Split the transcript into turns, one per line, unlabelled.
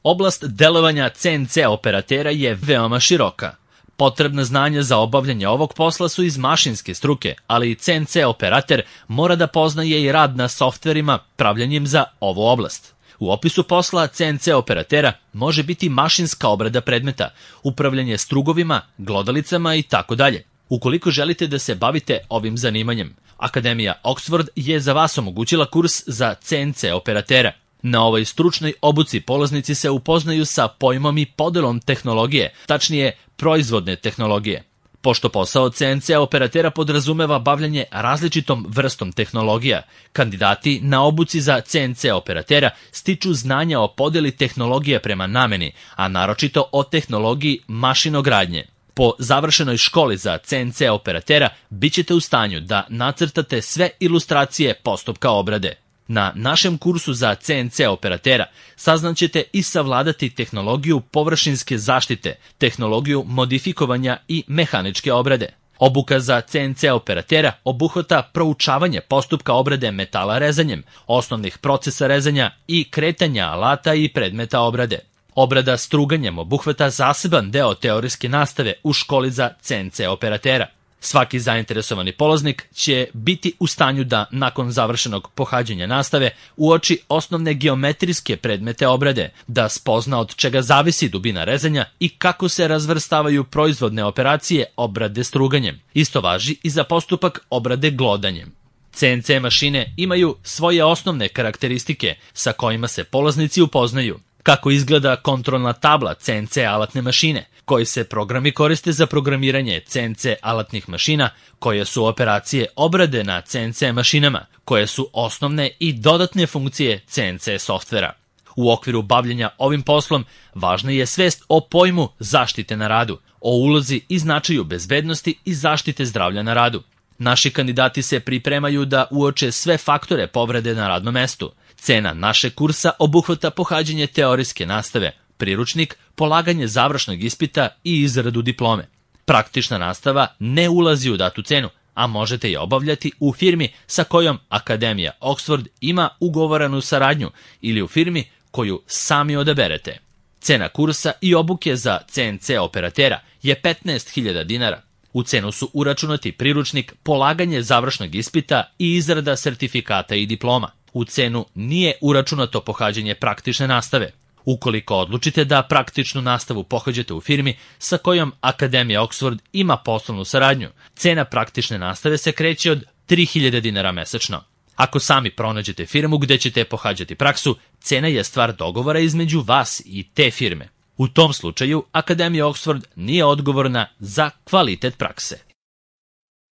Oblast delovanja CNC operatera je veoma široka. Potrebna znanja za obavljanje ovog posla su iz mašinske struke, ali i CNC operater mora da poznaje i rad na softverima pravljanjem za ovu oblast. U opisu posla CNC operatera može biti mašinska obrada predmeta, upravljanje strugovima, glodalicama i tako dalje. Ukoliko želite da se bavite ovim zanimanjem, Akademija Oxford je za vas omogućila kurs za CNC operatera. Na ovoj stručnoj obuci polaznici se upoznaju sa pojmom i podelom tehnologije, tačnije proizvodne tehnologije. Pošto posao CNC operatera podrazumeva bavljanje različitom vrstom tehnologija, kandidati na obuci za CNC operatera stiču znanja o podeli tehnologije prema nameni, a naročito o tehnologiji mašinogradnje. Po završenoj školi za CNC operatera bit ćete u stanju da nacrtate sve ilustracije postupka obrade. Na našem kursu za CNC operatera saznaćete i savladati tehnologiju površinske zaštite, tehnologiju modifikovanja i mehaničke obrade. Obuka za CNC operatera obuhvata proučavanje postupka obrade metala rezanjem, osnovnih procesa rezanja i kretanja alata i predmeta obrade. Obrada struganjem obuhvata zaseban deo teorijske nastave u školi za CNC operatera. Svaki zainteresovani polaznik će biti u stanju da, nakon završenog pohađanja nastave, uoči osnovne geometrijske predmete obrade, da spozna od čega zavisi dubina rezanja i kako se razvrstavaju proizvodne operacije obrade struganjem. Isto važi i za postupak obrade glodanjem. CNC mašine imaju svoje osnovne karakteristike sa kojima se polaznici upoznaju. Kako izgleda kontrolna tabla CNC alatne mašine, koji se programi koriste za programiranje CNC alatnih mašina, koje su operacije obrade na CNC mašinama, koje su osnovne i dodatne funkcije CNC softvera. U okviru bavljenja ovim poslom važna je svest o pojmu zaštite na radu, o ulozi i značaju bezbednosti i zaštite zdravlja na radu. Naši kandidati se pripremaju da uoče sve faktore povrede na radnom mestu. Cena našeg kursa obuhvata pohađanje teorijske nastave, priručnik, polaganje završnog ispita i izradu diplome. Praktična nastava ne ulazi u datu cenu, a možete je obavljati u firmi sa kojom Akademija Oxford ima ugovorenu saradnju ili u firmi koju sami odaberete. Cena kursa i obuke za CNC operatera je 15.000 dinara. U cenu su uračunati priručnik, polaganje završnog ispita i izrada sertifikata i diploma. U cenu nije uračunato pohađanje praktične nastave. Ukoliko odlučite da praktičnu nastavu pohađate u firmi sa kojom Akademija Oxford ima poslovnu saradnju, cena praktične nastave se kreće od 3.000 dinara mesečno. Ako sami pronađete firmu gde ćete pohađati praksu, cena je stvar dogovora između vas i te firme. U tom slučaju Akademija Oxford nije odgovorna za kvalitet prakse.